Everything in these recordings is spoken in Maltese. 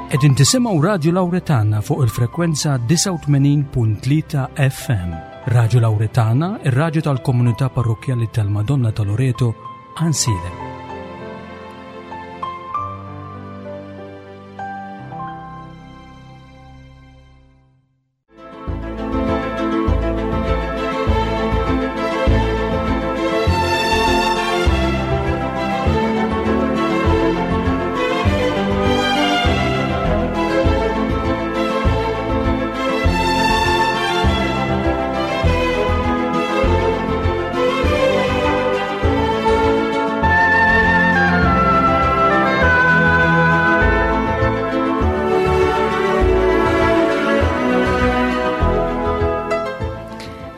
Qegħdin tisimgħu Radju Lawretana fuq il-frekwenza 89.3 FM. Radju Lawretana, ir-radju tal-komunità parrokkjali tal-Madonna ta' Loreto, Għansielem.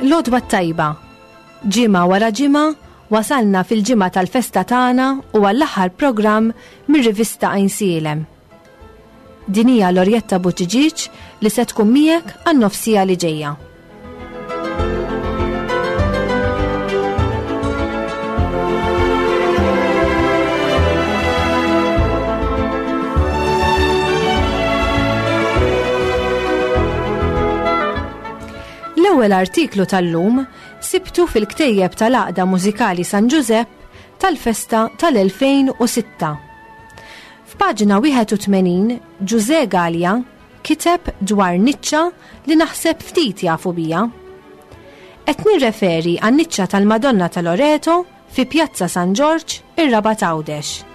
L-għodwa t-tajba. Ġimgħa wara ġimgħa wasalna fil-ġimgħa tal-festa tagħna u għall-aħħar programm mir-rivista Għajnsielem. Din hija Lorjetta Buttigieg li se tkun miegħek għan-nofsija li ġejja. L-ewwel artiklu tal-lum sibtu fil-ktejjeb tal-Għaqda Mużikali San Ġużepp tal-festa tal-2006. F'paġna 81 Ġużè Galea kiteb dwar niċċa li naħseb ftit jafu biha. Qed nirreferi għan-niċċa tal-Madonna ta' Loreto fi Pjazza San Ġorġ, ir-Rabat Għawdex.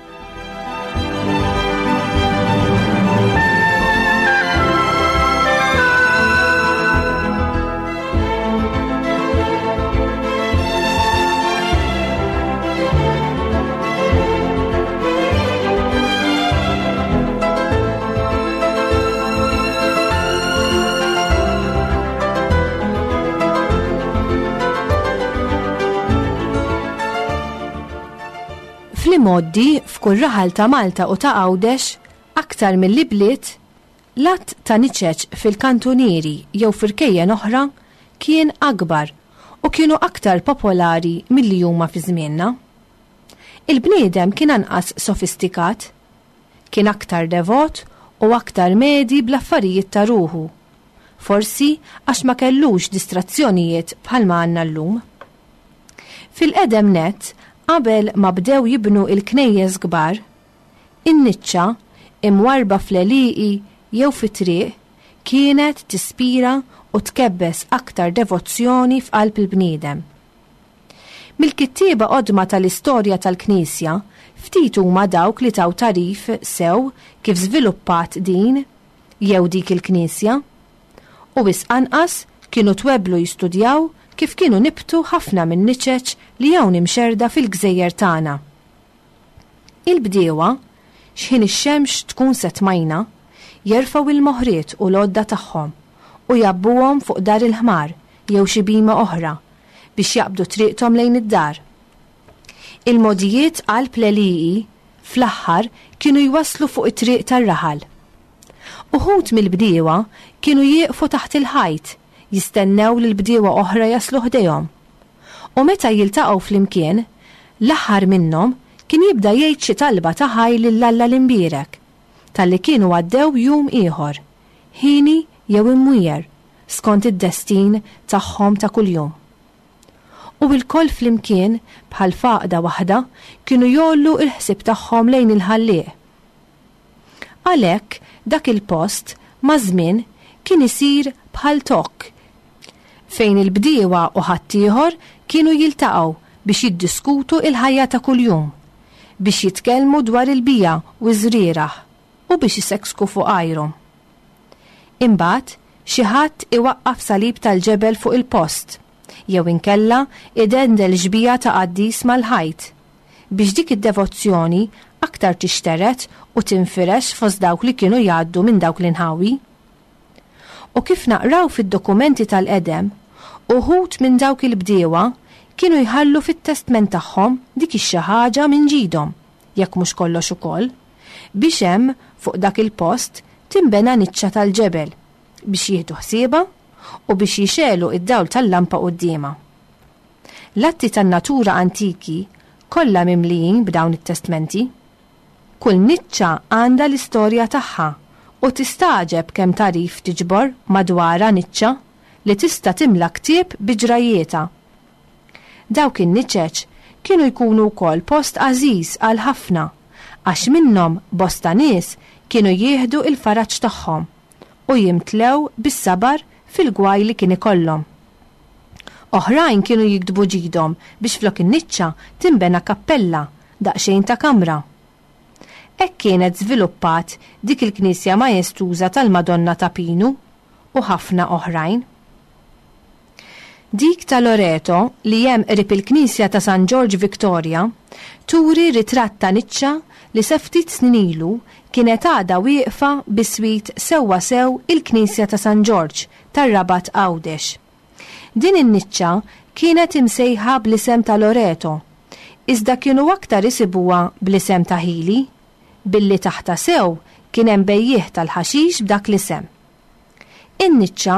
Fl-imgħoddi, f'kull raħal ta' Malta u ta' Għawdex, aktar milli bliet, l-għadd ta' niċeċ fil-kantunieri jew f'irkejjen oħra kien akbar u kienu aktar popolari milli huma fi żmienna. Il-bniedem kien anqas sofistikat. Kien aktar devot u aktar medhi bl-affarijiet ta' ruħu. Forsi għax ma kellux distrazzjonijiet bħalma għandna llum. Fil-qedem nett, qabel ma bdew jibnu l-knejjes kbar, in-niċċa, imwarrba fl-għelieqi jew fit-triq, kienet tispira u tkebbes aktar devozzjoni f'qalb il-bniedem. Mill-kittieba qodma tal-istorja tal-Knisja, ftit huma dawk li taw tagħrif sew kif żviluppat din jew dik il-knisja. U wisq anqas kienu twebblu jistudjaw kif kienu nibtu ħafna min-niċeċ li hawn imxerrda fil-gżejjer tagħna. Il-bdiewa, x'ħin ix-xemx tkun se tmajna, jerfgħu il-moħriet u l-għodda tagħhom u jgħabbuhom fuq dar il-ħmar jew xi bhima oħra biex jaqbdu triqthom lejn id-dar. Il-mogħdijiet qalb l-għelieqi fl-aħħar kienu jwasslu fuq it-triq tar-raħal. Uħud mill-bdiewa kienu jieqfu taħt il-ħajt jistennew lil bdiewa oħra jaslu ħdejhom. U meta jiltaqgħu flimkien, l-aħħar minnhom kien jibda jgħid xi talba ta' ħajr lil Alla l-Imbierek talli kienu għaddew jum ieħor, hieni jew imwiegħer, skont id-destin tagħhom ta' kuljum. U lkoll flimkien, bħal f'għaqda waħda, kienu jgħollu l-ħsieb tagħhom lejn il-Ħallieq. Għalhekk, dak il-post, maż-żmien, kien isir bħal tokk, fejn il-bdiewa u ħaddieħor kienu jiltaqgħu biex jiddiskutu l-ħajja ta' kuljum, biex jitkellmu dwar il-bija u ż-żrieragħ, u biex iseksku fuq għajrhom. Imbagħad, xi ħadd iwaqqaf salib tal-ġebel fuq il-post, jew inkella idendel xbieha ta' qaddis mal-ħajt, biex dik id-devozzjoni aktar tixtered u tinfirex fost dawk li kienu jgħaddu minn dawk l-inħawi. U kif naqraw fid-dokumenti tal-qedem, uħud minn dawk il-bdiewa kienu jħallu fit-testment tagħhom dik ix-xi ħaġa minn ġidhom, jekk mhux kollox ukoll, biex hemm, fuq dak il-post, tinbena niċċa tal-ġebel biex jieħdu ħsiebha u biex jixegħlu d-dawl tal-lampa quddiemha. L-atti tan-natura antiki kollha mimlijin b'dawn it-testmenti. Kull niċċa għandha l-istorja tagħha U tistagħġeb kemm tagħrif tiġbor madwarha niċċa li tista' timla ktieb bi ġrajjietha. Dawk in-niċeċ kienu jkunu wkoll post għażiż għal ħafna għax minnhom bosta nies kienu jieħdu l-faraġ tagħhom u jimtlew bis-sabar fil-gwaj li kien ikollhom. Oħrajn kienu jiktbu ġidhom biex flok in-niċċa tinbena kappella daqsxejn ta' kamra. Hekk kienet żviluppat dik il-knisja majestuża tal-Madonna ta' Pinu u ħafna oħrajn. Dik ta' Loreto li hemm qrib il-knisja ta' San Ġorġ Victoria turi ritratt ta' niċċa li sa ftit snin ilu kienet għadha wieqfa biswit sewwasew il-knisja ta' San Ġorġ tar-Rabat Għawdex. Din in-niċċa kienet imsejħa bl-isem ta' Loreto, iżda kienu aktar isibuha bl-isem ta' Hili, billi taħtha sew kien hemm bejjiegħ tal-ħaxix b'dak l-isem. In-niċċa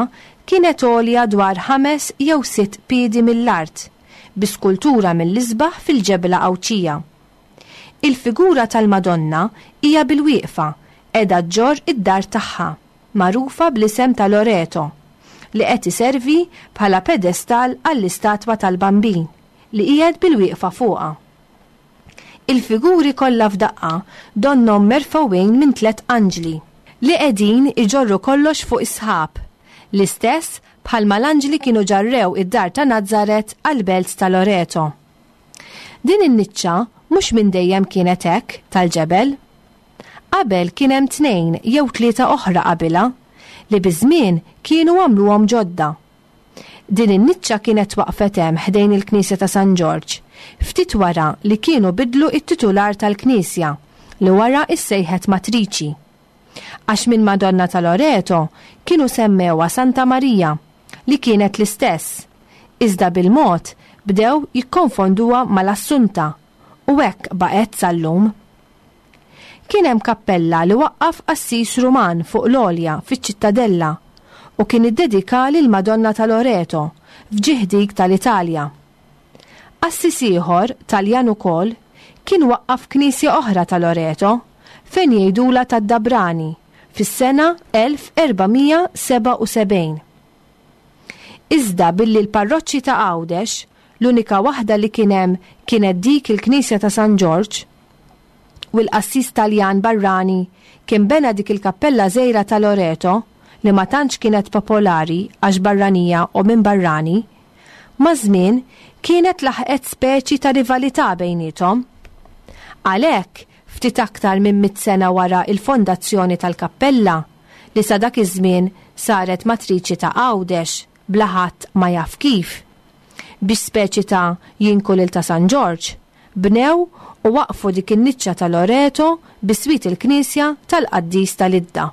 kienet għolja dwar ħames jew sitt piedi mill-art, bi skultura mill-isbaħ fil-ġebla Għawdxija. Il-figura tal-Madonna hija bilwieqfa, qiegħda ġġorr id-dar tagħha. magħrufa bl-isem ta' Loreto, li qed iservi bħala pedestall għall-istatwa tal-Bambin li qiegħed bilwieqfa fuqha. Il-figuri kollha f'daqqa donnhom merfgħuin minn tlett anġli, li qegħdin iġorru kollox fuq is-sħab, l-istess bħalma l-anġli kienu ġarrew id-dar ta' Nazaret għall-belt ta' Loreto. Din in-niċċa mhux minn dejjem kienet hekk tal-ġebel. Qabel kien hemm tnejn jew tlieta oħra qabilha li biż-żmien kienu għamluhom ġodda. Din in-niċċa kienet twaqqfet hemm ħdejn il-knisja ta' San Ġorġ, ftit wara li kienu biddlu t-titular tal-knisja li wara issejħet Matriċi. Għax minn Madonna ta' Loreto kienu semmewha Santa Marija li kienet l-istess, iżda bil-mod bdew jikkonfonduha mal-Assunta u hekk baqgħet sal-lum. Kien hemm kappella li waqqaf qassis Ruman fuq l-għolja fiċ-Ċittadella u kien iddedikha lill-Madonna ta' Loreto f'ġieħ dik tal-Italja. Qassis ieħor, Taljan ukoll, kien waqqaf knisja oħra ta' Loreto, fejn jgħidulha tad-Dabrani, fis-sena 1477. Iżda billi l-parroċċi ta' Għawdex, l-unika waħda li kien hemm kienet dik il-knisja ta' San Ġorġ, u l-qassis Taljan barrani kien bena dik il-kappella żgħira ta' Loreto li ma tantx kienet popolari għax barranija u minn barrani, maż-żmien kienet laħqet speċi ta' rivalità bejniethom. Għalhekk, ftit aktar minn mitt sena wara il-fondazzjoni tal-kappella, li sa dak iż-żmien saret matriċi ta' Għawdex bla ħadd ma jaf kif, biex speċi ta' jinku lil ta' San Ġorġ, Bnew u waqqfu dik in-niċċa ta' Loreto biswit il-knisja tal-qaddis ta' Lidda.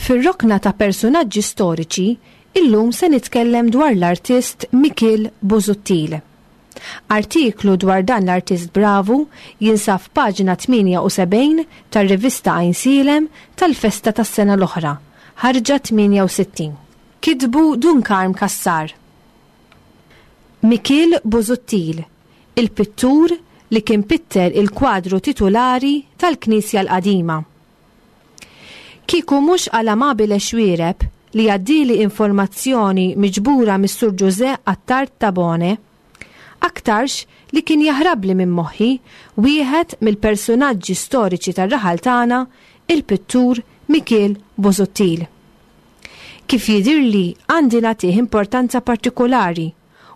Fir-rokna ta' persunaġġi storiċi, illum se nitkellem dwar l-artist Mikiel Busuttil. Artiklu dwar dan l-artist bravu jinsab f'paġna 78 tar-rivista Għajnsielem tal-festa tas-sena l-oħra, ħarġa 68. Kitbu Dun Karm Cassar. Mikiel Busuttil, il-pittur li kien pitter il-kwadru titulari tal-Knisja l-Qadima. Kieku mhux għal Amabile Xuereb li għaddieli informazzjoni miġbura mis-Sur Ġużè Attard Tabone, aktarx li kien jaħrabli minn moħħi wieħed mill-persunaġġi storiċi tar-raħal tagħna, il-pittur Mikiel Busuttil. Kif jidhirli għandi nagħtih importanza partikulari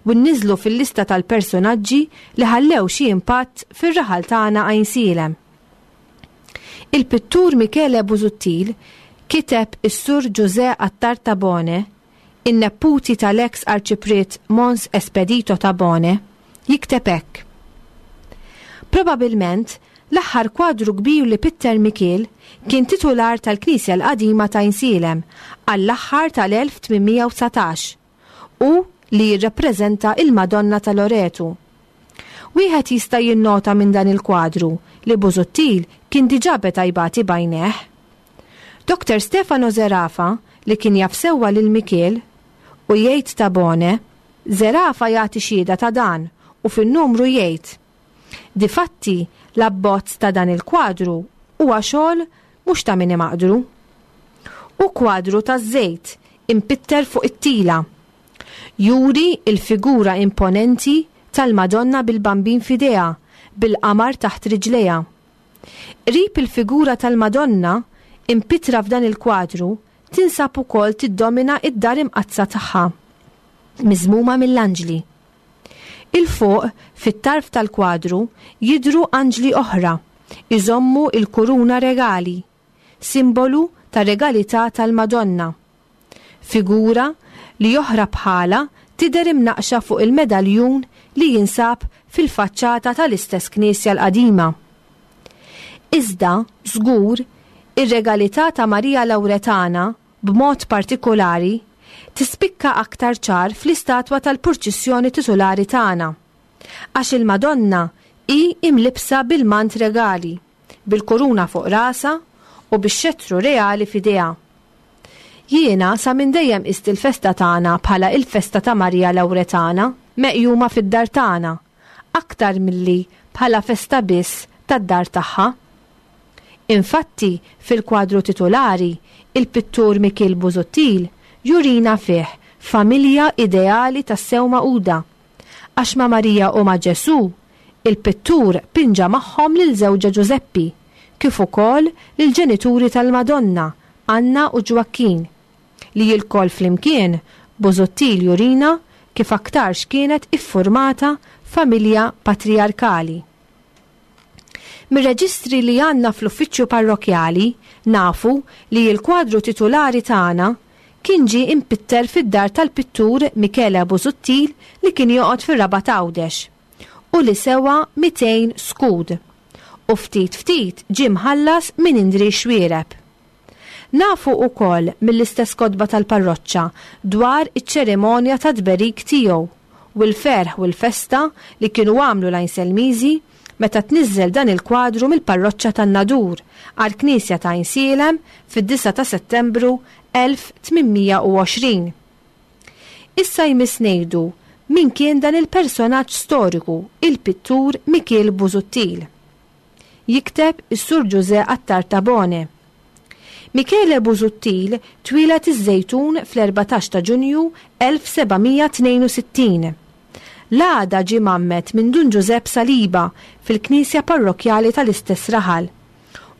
u nniżżlu fil-lista tal-persunaġġi li ħallew xi impatt fir-raħal tagħna Għajnsielem. Il-pittur Michele Busuttil kiteb is-Sur Ġużè Attard Tabone, in-nepputi tal-eks Arċipriet Mons Espedito Tabone, jikteb hekk, Probabilment, l-aħħar kwadru kbir li pitter Mikiel kien titular tal-Knisja l-Qadima t'Għajnsielem għall-aħħar tal-1819 u li jirrappreżenta il-Madonna ta' Loretu. Wieħed jista' jinnota minn dan il-kwadru li Busuttil kien diġà beda jbati b'għajnejh. Doctor Stefano Zerafa, li kien jaf sewwa lil Mikiel, u jgħid Tabone, Zerafa jagħti xhieda ta' dan u fin-numru jgħid, Difatti, l-abbozz ta' dan il-kwadru huwa xogħol mhux ta' min imaqdru. Hu kwadru taż-żejt impitter fuq it-tila. Juri l-figura imponenti tal-Madonna bil-Bambin f'idejha, bil-qamar taħt riġlejha. Qrib il-figura tal-Madonna, impittra f'dan il-kwadru, tinsab ukoll tiddomina d-Dar Imqaddsa tagħha, miżmuma mill-anġli. 'Il fuq, fit-tarf tal-kwadru, jidhru anġli oħra, iżommu l-kuruna regali, simbolu tar-regalità tal-Madonna. Figura li oħra bħalha tidher imnaqqxa fuq il-medaljun li jinsab fil-faċċata tal-istess knisja l-qadima. Iżda, żgur, ir-regalità ta' Marija Lawretana b'mod partikulari, tispikka aktar ċar fl-istatwa tal-purċissjoni titulari tagħna. Għax il-Madonna hi imlibbsa bil-mant regali, bil-kuruna fuq rasha u bix-xettru reali f'idejha. Jiena sa minn dejjem qist il-festa tagħna bħala il-festa ta' Marija Lawretana meqjuma fid-dar tagħna, aktar milli bħala festa biss tad-dar tagħha. Infatti, fil-kwadru titulari, il-pittur Mikiel Busuttil jurina fih familja ideali tassew magħquda. Għax ma' Marija u ma' Ġesù, il-pittur pinġa magħhom lil żewġha Ġużeppi, kif ukoll lill-ġenituri tal-Madonna, Anna u Ġwakkin, li ilkoll flimkien Busuttil jurina kif aktarx kienet iffurmata familja patrijarkali. Mir-reġistri li għandna fl-uffiċċju parrokkjali nafu li l-kwadru titulari tagħna kien ġie impitter fid-dar tal-pittur Michele Busuttil li kien joqgħod fir-Rabat Għawdex u li sewa 200 skud u ftit ftit ġie mħallas minn Indri Xuereb. Nafu ukoll mill-istess kotba tal-parroċċa dwar iċ-ċerimonja tat-tberik tiegħu u l-ferħ u l-festa li kienu għamlu l-Għajnselmiżi meta tniżżel dan il-kwadru mill-parroċċa tan-Nadur għall-knisja ta' Għajnsielem fid-disgħa ta' Settembru 1820. Issa jmiss ngħidu min kien dan il-personaġġ storiku, il-pittur Mikiel Busuttil. Jikteb is-Sur Ġużè Attard Tabone. Michele Busuttil twieled iż-Żejtun fl-14 ta' Ġunju 1762. L-għada ġie mgħammed minn Dun Ġużepp Saliba fil-knisja parrokkjali tal-istess raħal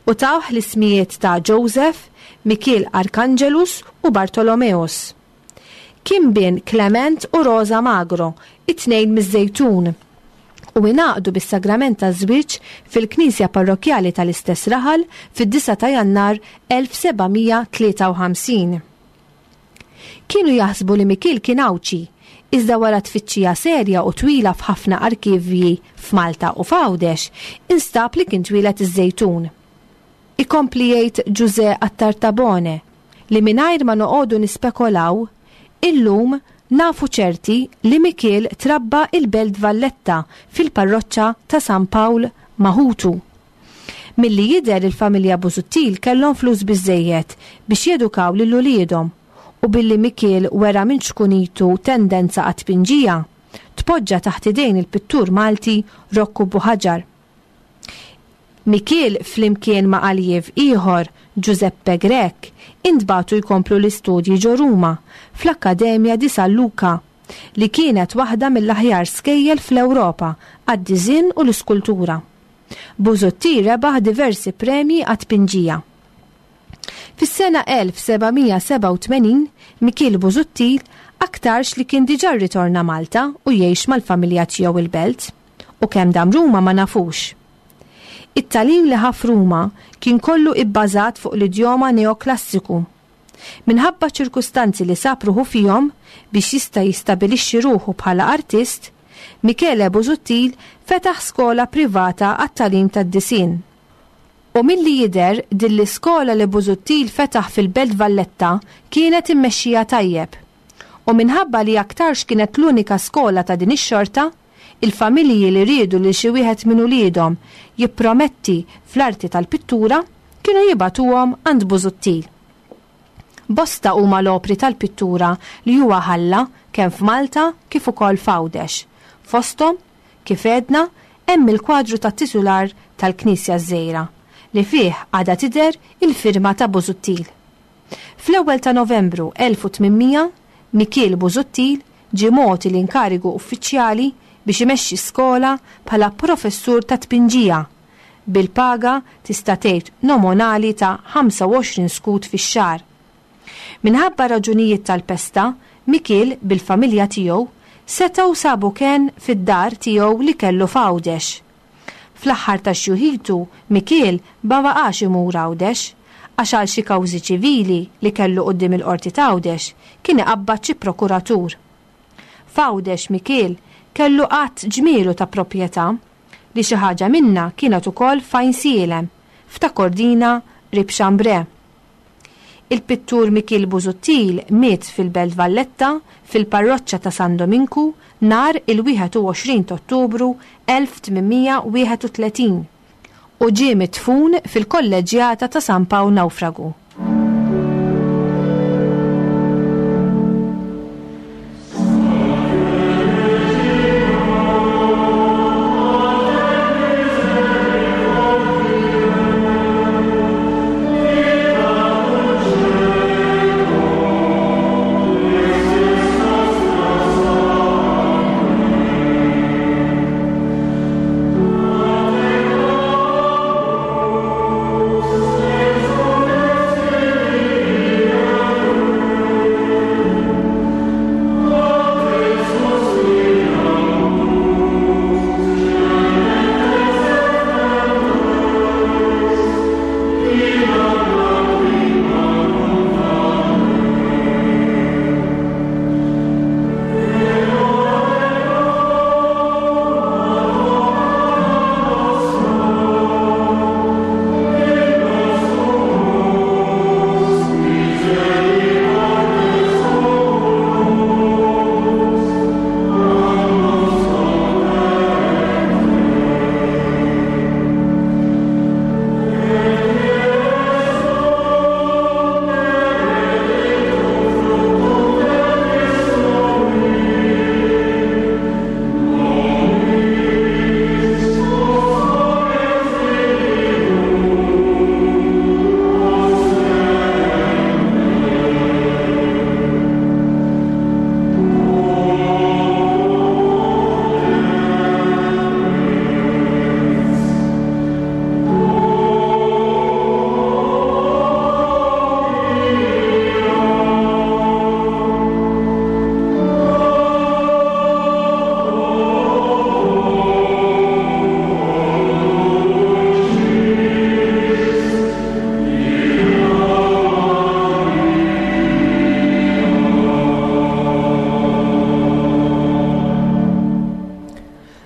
u tawh l-ismijiet ta' Joseph, Mikiel Arkanġelus u Bartolomeus. Kien bin Clement u Rosa Magro, it-tnejn miż-Żejtun, u ingħaqdu bis-sagrament taż-żwieġ fil-knisja parrokkjali tal-istess raħal fid-9 ta' Jannar 1753. Kienu jaħsbu li Mikiel kien Għawdxi, iżda wara tfittxija serja u twila f'ħafna arkivji f'Malta u f'Għawdex, instab li kien twieled iż-Żejtun. Ikompli jgħid Ġużè Attard Tabone. li mingħajr ma noqogħdu nispekolaw, illum nafu ċerti li Mikiel trabba il-Belt Valletta fil-parroċċa ta' San Pawl ma' ħutu. Milli jidher il-familja Busuttil kellhom flus biżżejjed biex jedukaw lil uliedhom u billi Mikiel wera minn ċkunitu tendenza għat-tpinġija, tpoġġa taħt idejn il-pittur Malti Rokku Buħaġar. Mikiel flimkien ma' aljiev ieħor, Giuseppe Grech, intbagħtu jkomplu l-istudji ġo Ruma, fl-Accademia di San Luca, li kienet waħda mill-aħjar skejjel fl-Ewropa għad-diżinn u l-iskultura. Busuttil rebaħ diversi premji għat-tpinġija. Fis-sena 1787, Mikiel Busuttil aktarx li kien diġà rritorna Malta u jgħix mal-familja tiegħu il-Belt, u kemm dam Ruma ma nafux. It-tagħlim li ħa f'Ruma kien kollu ibbażat fuq l-idjoma neoklassiku. Minħabba ċ-ċirkustanzi li sab ruħu fihom biex jista' jistabilixxi ruħu bħala artist, Michele Busuttil fetaħ skola privata għat-tagħlim tad-disinn. U milli jidher din l-iskola li Busuttil fetaħ fil-Belt Valletta kienet immexxija tajjeb. U minħabba li aktarx kienet l-unika skola ta' din ix-xorta, il-familji li riedu lil xi wieħed minn uliedhom jipprometti fl-arti tal-pittura kienu jibagħtuhom għand Busuttil. Bosta huma l-opri tal-pittura li huwa ħalla kemm f'Malta kif ukoll f'Għawdex. Fosthom, kif għedna, hemm il-kwadru tat-titular tal-Knisja ż-Żgħira, li fih għadha tidher il-firma ta' Busuttil. Fl-ewwel ta' Novembru 1800, Mikiel Busuttil ġie mogħti l-inkarigu uffiċjali biex imexxi skola bħala professur tat-tpinġija, bil-paga tista' tgħid nomonali ta' 25 skud fix-xahar. Minħabba raġunijiet tal-pesta, Mikiel bil-familja tiegħu setgħu sabu kenn fid-dar tiegħu li kellu f'Għawdex. Fl-aħħar ta' xjuħitu Mikiel ma baqax imur Għawdex, għax għal xi kawżi ċivili li kellu quddiem il-Qorti t'Għawdex kien iqabbad xi prokuratur. F'Għawdex Mikiel kellu għadd ġmielu ta' proprjetà, li xi ħaġa minnha kienet ukoll f'Għajnsielem, f'Ta' Kordina qrib Chambray. Il-pittur Mikiel Busuttil miet fil-Belt Valletta fil-Parroċċa ta' San Dominku nhar il-21 t'Ottubru 1831 u ġie midfun fil-Kolleġġjata ta' San Pawl Nawfragu.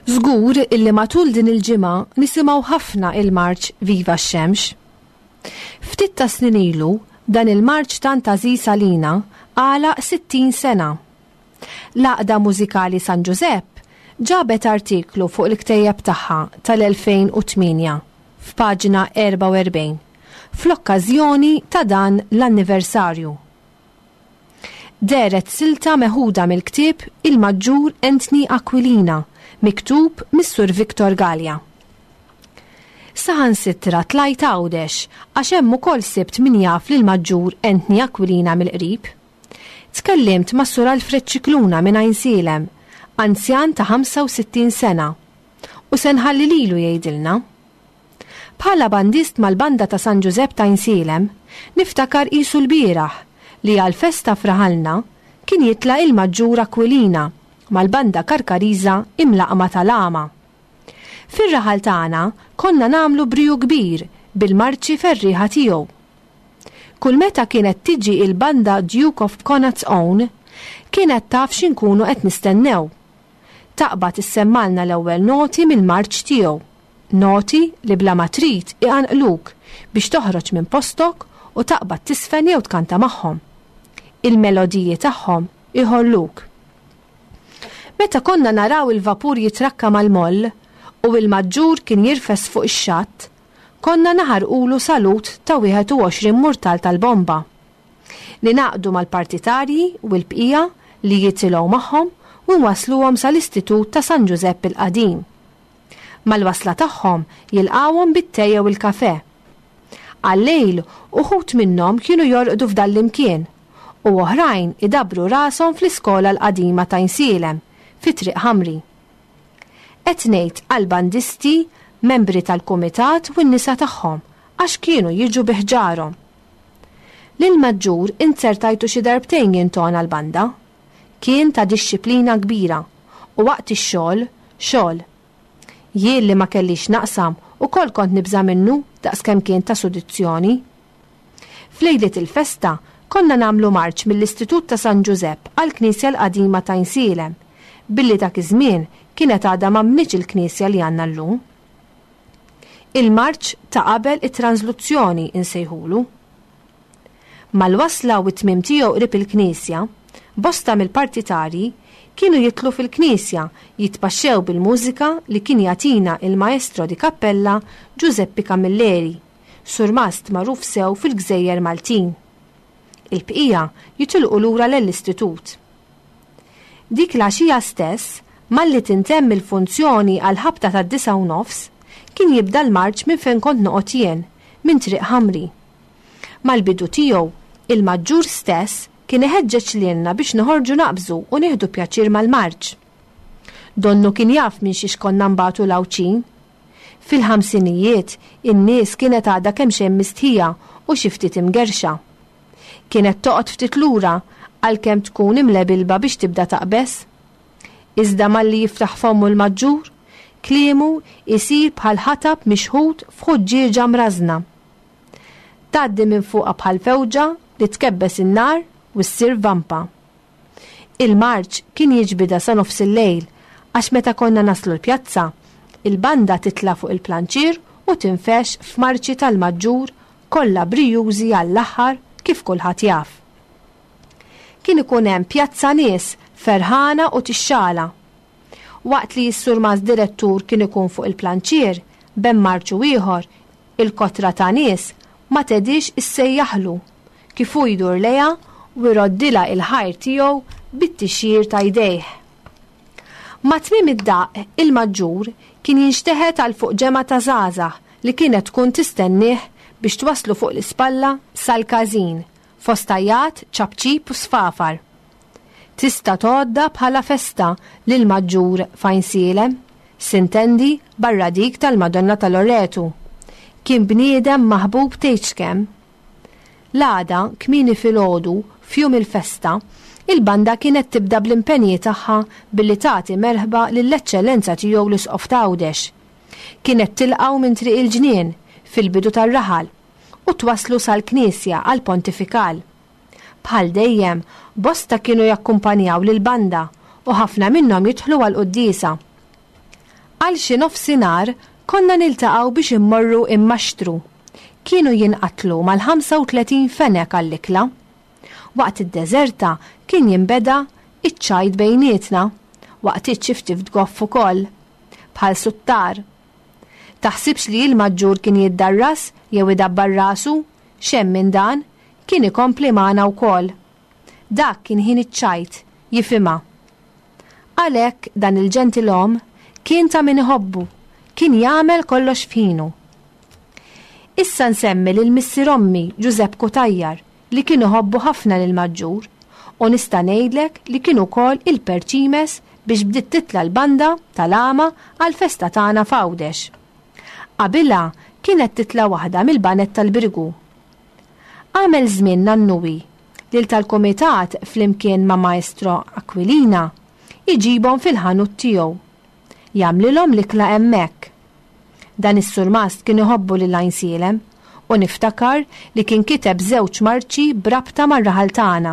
Żgur illi matul din il-ġimgħa nisimgħu ħafna il-marċ Viva x-Xemx. Ftit ta' snin ilu. dan il-marċ tant għażiż għalina għalaq 60 sena. L-Għaqda Mużikali San Ġużepp ġabet artiklu fuq il-ktejjeb tagħha tal-2008 f'paġna 44 fl-okkażjoni ta' dan l-anniversarju. Dehret silta meħuda mill-ktieb Il-Maġġur Anthony Aquilina miktub mis-Sur Victor Galea. Saħansitra tlajt Għawdex għax hemm ukoll sibt min jaf lill-Maġġur Anthony Aquilina mill-qrib. Tkellimt mas-Sur Alfred Scicluna minn Għajnsielem, anzjan ta' 65 sena, u se nħalli lilu jgħidilna. Bħala bandist mal-Banda ta' San Ġużepp t'Għajnsielem, niftakar qisu lbieraħ li għall-festa f'raħalna kien jitla' il-Maġġur Aquilina mal-Banda Karkariża imlaqqma tal-Għama. Fir-raħal tagħna konna nagħmlu briju kbir bil-marċi ferrieħa tiegħu. Kull meta kienet tiġi il-banda Duke of Connaught's Own, kienet taf x'inkunu qed nistennew. Taqbad issemmgħalna l-ewwel noti mill-marċ tiegħu. Noti li bla ma trid iqanqluk biex toħroġ minn postok u taqbad tiżfen jew tkanta magħhom. Il-melodiji tagħhom iħolluk. Meta konna naraw il-vapur jitrakka mal-moll u il-maġġur kien jirfes fuq ix-xatt, konna naħarqulu salut ta' 21 murtal tal-bomba. Ningħaqdu mal-partitarji u l-bqija li jitilgħu magħhom u nwassluhom sal-Istitut ta' San Ġużepp il-Qadim. Mal-wasla tagħhom jilqgħuhom bit-te jew il-kafè. Għal-lejl uħud minnhom kienu jorqdu f'dan l-imkien u oħrajn idabbru rashom fl-iskola l-qadima t'Għajnsielem fi Triq Ħamri. Qed ngħid għall-bandisti, membri tal-kumitat u n-nisa tagħhom għax kienu jiġu bi ħġarhom. Lill-Maġġur inzertajtu xi darbtejn jintona l-banda. Kien ta' dixxiplina kbira u waqt ix-xogħol, xogħol. Jien li ma kellix x'naqsam ukoll kont nibża' minnu daqskemm kien ta' sudizzjoni. F'lejliet il-festa konna nagħmlu marċ mill-Istitut ta' San Ġużepp għall-Knisja l-qadima t'Għajnsielem, billi dak iż-żmien kienet għadha ma nbnietx il-knisja li għandna llum. Il-marċ ta' qabel it-transluzzjoni insejħulu. Mal-wasla u t-tmiem tiegħu qrib il-knisja, bosta mill-partitarji kienu jidħlu fil-knisja jitpaxxew bil-mużika li kien jagħtina il-maestro di cappella Giuseppe Camilleri, surmast magħruf sew fil-gżejjer Maltin. Il-bqija jitilqu lura lell-istitut. Dik l-għaxija stess, malli tintemm il-funzjoni għall-ħabta tad-disgħa u nofs, kien jibda l-marċ minn fejn kont noqgħod jien, minn Triq Ħamri. Mal-bidu tiegħu, il-Maġġur stess kien iħeġġeġ lilna biex noħorġu naqbżu u nieħdu pjaċir mal-marċ. Donnu kien jaf minn xiex konna nbatu l-Għawdxin. Fil-ħamsinijiet, in-nies kienet għadha kemxejn mistħija u xi ftit imgerrxa. Kienet toqgħod ftit lura għalkemm tkun imlebilba biex tibda taqbeż. Iżda malli jiftaħ fommu l-maġġur, kliemu jsir bħal ħatab mixħut f'ħuġġieġa mrażżna. Tgħaddi minn fuqha bħal fewġa li tkebbes in-nar u ssir vampa. Il-marċ kien jiġbidha sa nofsillejl għax meta konna naslu l-pjazza, il-banda titla' fuq il-planċier u tinfexx f'marċi tal-maġġur kollha brijużi għall-aħħar kif kulħadd jaf. Kien ikun hemm pjazza nies ferħana u tixxala. Waqt li s-surmast direttur kien ikun fuq il-planċier, bejn marċ u ieħor, il-kotra ta' nies ma tedhiex issejjaħlu, kif hu jdur lejha u jroddilha il-ħajr tiegħu bit-tixjir ta' jdejh. Ma' tmiem id-daqq, il-maġġur kien jinxteħet għal fuq ġemgħa ta' żgħażagħ li kienet tkun tistennieh biex twasslu fuq l-ispalla sal-każin, fost għajjat, ċapċip u sfafar. Tista' tgħoddha bħala festa lill-Maġġur f'Għajnsielem, sintendi barra dik tal-Madonna ta' Loretu. Kien bniedem maħbub tgħidx kemm. L-għada, kmieni filgħodu, f'jum il-festa, il-banda kienet tibda bl-impenji tagħha billi tagħti merħba lill-Eċċellenza Tiegħu l-Isqof t'Għawdex. Kienet tilqgħu minn Triq il-Ġnien, fil-bidu tar-raħal, u twasslu sal-knisja għall-pontifikal. Bħal dejjem, bosta kienu jakkumpanjaw lill-banda u ħafna minnhom jidħlu għall-quddiesa. Għal xi nofsinhar konna niltaqgħu biex immorru immaxtru. Kienu jinqatlu mal-35 fenek għall-ikla. Waqt id-deżerta kien jinbeda iċ-ċajt bejnietna, waqtiet xi ftit goff ukoll. Bħal suttar. Taħsibx li il-maġġur kien jiddarras jew idabbar rasu, x'hemm minn dan, kien ikompli magħna wkoll. Dak kien ħin iċ-ċajt, jifhimha. Għalhekk dan il-ġentilom kien ta' min iħobbu, kien jagħmel kollox f'ħinu. Issa nsemmi lil missier ommi Ġużepp Cutajar li kien iħobbu ħafna lill-Maġġur u nista' ngħidlek li kien ukoll il-perċimes biex bdiet titla' l-banda tal-għama għall-festa tagħna f'Għawdex. Qabilha kienet titla' waħda mill-baned tal-Birgu. Għamel żmien nannuwi lil tal-kumitat flimkien ma' Maestro Aquilina jġibhom fil-ħanut tiegħu. Jagħmlilhom l-ikla hemmhekk. Dan is-surmast kien iħobbu lil Għajnsielem u niftakar li kien kiteb żewġ marċi b'rabta mar-raħal tagħna.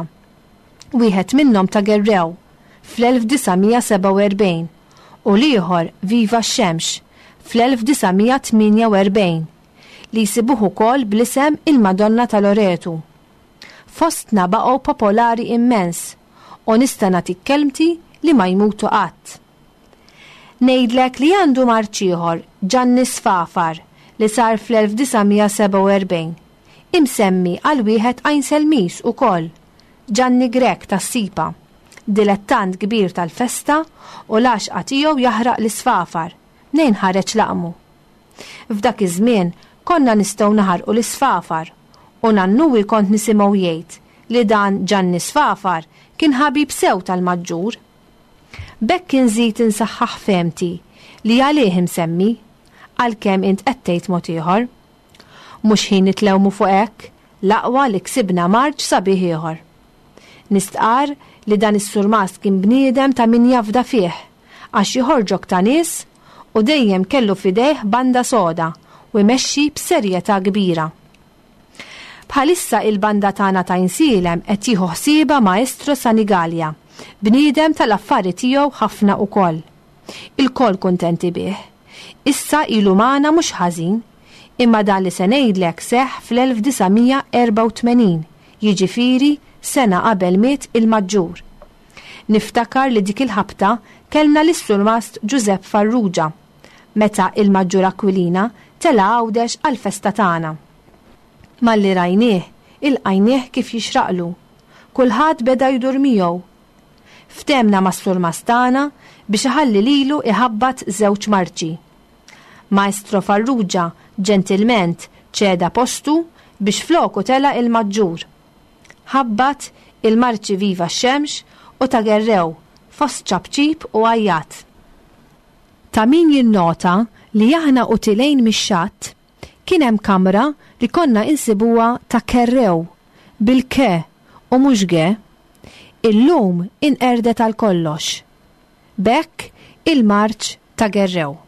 Wieħed minnhom ta' Gerrew fl-1947 u l-ieħor Viva x-Xemx fl-1948 li jsibuh ukoll bl-isem Il-Madonna ta' Loretu. Fostna baqgħu popolari immens u nista' nagħtik kelmti li ma jmutu qatt. Ngħidlek li għandu marċ ieħor, Ġanni Sfafar, li sar fl-1947, imsemmi għal wieħed Għajnselmiż ukoll, Ġanni Grech tas-Sipa, dilettant kbir tal-festa u l-għaxqa tiegħu jaħraq l-isfafar, mnejn ħareġ laqmu. F'dak iż-żmien konna nistgħu naħarqu l-isfafar u nannuwi kont nisimgħu jgħid li dan Ġanni Sfafar kien ħabib sew tal-Maġġur. B'hekk inżid insaħħaħ fehmti li għalih imsemmi, għalkemm int qed tgħid mod ieħor. Mhux ħin nitlewmu fuq hekk, l-aqwa li ksibna marċ sabiħ ieħor. Nistqarr li dan is-surmast kien bniedem ta' min jafda fih, għax joħorġok ta' nies u dejjem kellu f'idejh banda soda u jmexxi b'serjetà kbira. Bħalissa il-banda tagħna t'Għajnsielem qed jieħu ħsiebha Maestro Sanigalia, bniedem tal-affari tiegħu ħafna ukoll. Ilkoll kuntenti bih. Issa ilu magħna mhux ħażin, imma dan li se ngħidlek seħħ fl-1984, jiġifieri sena qabel miet il-Maġġur. Niftakar li dik il-ħabta kellna lis-Surmast Ġużepp Farrugia, meta il-Maġġur Aquilina tela' Għawdex għall-festa tagħna. Malli rajnieh, ilqajnieh kif jixraqlu. Kulħadd beda jdur miegħu. Ftehmna mas-surmast tagħna biex iħalli lilu iħabbat żewġ marċi. Maestro Farrugia ġentilment ċeda postu biex floku tela' il-Maġġur. Ħabbat il-marċi Viva x-Xemx u ta' Gerrew fost ċapċip u għajjat. Ta' min jinnota li aħna u tilgħin mix-xatt, kien hemm kamra li konna insibuha ta' Kerrew, bil-K u mhux G. Illum inqerdet għal kollox. B'hekk il-marċ ta' Gerrew.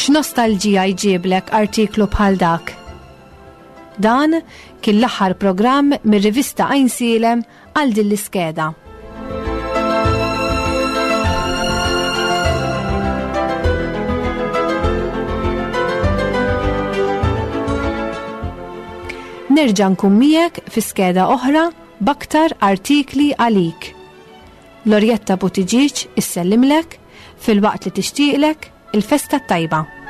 X'nostalġija jġiblek artiklu bħal dak? Dan kien l-aħħar programm mir-rivista Għajnsielem għal din l-iskeda. Nerġa' nkun miegħek fi skeda oħra b'aktar artikli għalik. Lorjetta Buttigieg issellimlek filwaqt li tixtieqlek il-festa t-tajba.